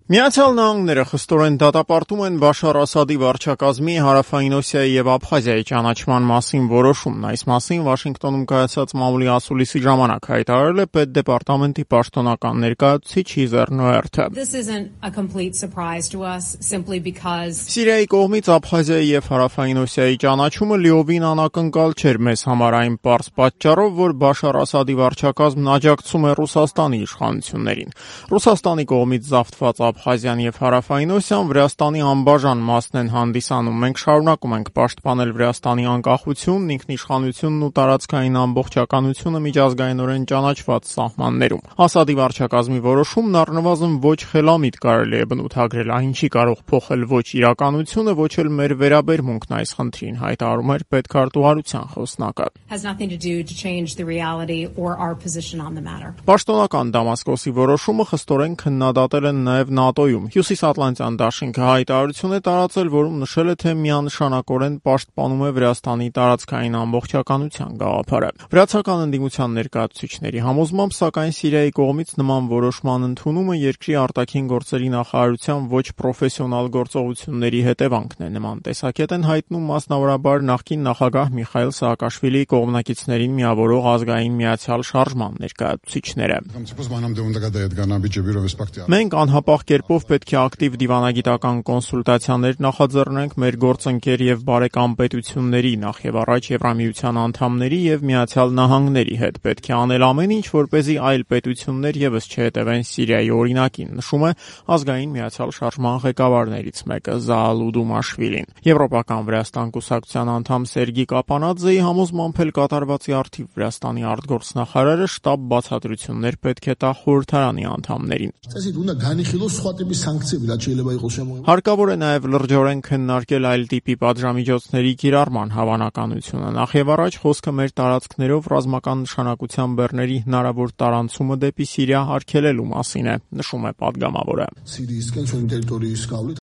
Միացյալ Նահանգները խստորեն դատապարտում են Բաշար Ասադի վարչակազմի Հարավային Օսիայի եւ Աբխազիայի ճանաչման մասին որոշումն։ Այս մասին Վաշինգտոնում կայացած մամուլի ասուլիսի ժամանակ հայտարարել է Պետդեպարտամենտի պաշտոնական ներկայացուցիչ Հիզեր Նոերթը։ Սիրիայի կողմից Աբխազիայի եւ Հարավային Օսիայի ճանաչումը լիովին անակնկալ չէր մեզ համար այն պարզ պատճառով, որ Բաշար Ասադի վարչակազմն աջակցում է Ռուսաստանի իշխանություններին։ Ռուսաստանի կողմից զավթված Աբխազիան եւ Հարավային Օսիան Վրաստանի անբաժան մասն են հանդիսանում։ Մենք շարունակում ենք պաշտպանել Վրաստանի անկախությունն, ինքնիշխանությունն ու տարածքային ամբողջականությունը միջազգայինորեն ճանաչված սահմաններում։ Ասադի վարչակազմի որոշումն առնվազն ոչ խելամիտ կարելի է բնութագրել, այն չի կարող փոխել ոչ իրականությունը, ոչ էլ մեր վերաբերմունքն այս խնդրին, հայտարարում էր պետքարտուղարության խոսնակը։ Պաշտոնական Դամասկոսի որոշումը խստորեն քննադատել են նաև ՆԱՏՕ-ում։ Հյուսիսատլանտյան դաշինքը հայտարարություն է տարածել, որում նշել է, թե միանշանակորեն պաշտպանում է Վրաստանի տարածքային ամբողջականության գաղափարը։ Վրացական ընդդիմության ներկայացուցիչների համոզմամբ, սակայն Սիրիայի կողմից նման որոշման ընդունումը երկրի արտաքին գործերի նախարարության ոչ պրոֆեսիոնալ գործողությունների հետևանքն է։ Նման տեսակետ են հայտնում մասնավորաբար նախկին նախագահ Միխայիլ Սաակաշվիլիի կողմնակիցներին միավորող ազգային միացյալ շարժման ներկայացուցիչները։ Մենք անհապաղ կերպով պետք է ակտիվ դիվանագիտական կոնսուլտացիաներ նախաձեռնենք մեր գործընկեր եւ բարեկամ պետությունների, նախ եւ առաջ Եվրամիության անդամների եւ Միացյալ Նահանգների հետ։ Պետք է անել ամեն ինչ, որպեսզի այլ պետություններ եւս չհետևեն Սիրիայի օրինակին, նշում է ազգային միացյալ շարժման ղեկավարներից մեկը Զաալու Դումաշվիլին։ Եվրոպական Վրաստան կուսակցության անդամ Սերգի Կապանաձեի համոզմամբ էլ կատարվածի առթիվ Վրաստանի արտգործնախարարը շտապ բացատրություններ պետք է տա խորհրդարանի անդամներին։ Հարկավոր է նաև լրջորեն քննարկել այլ տիպի պատժամիջոցների կիրառման հավանականությունը։ Նախ եւ առաջ խոսքը մեր տարածքներով ռազմական նշանակության բեռների հնարավոր տարանցումը դեպի Սիրիա արգելելու մասին է, նշում է պատգամավորը։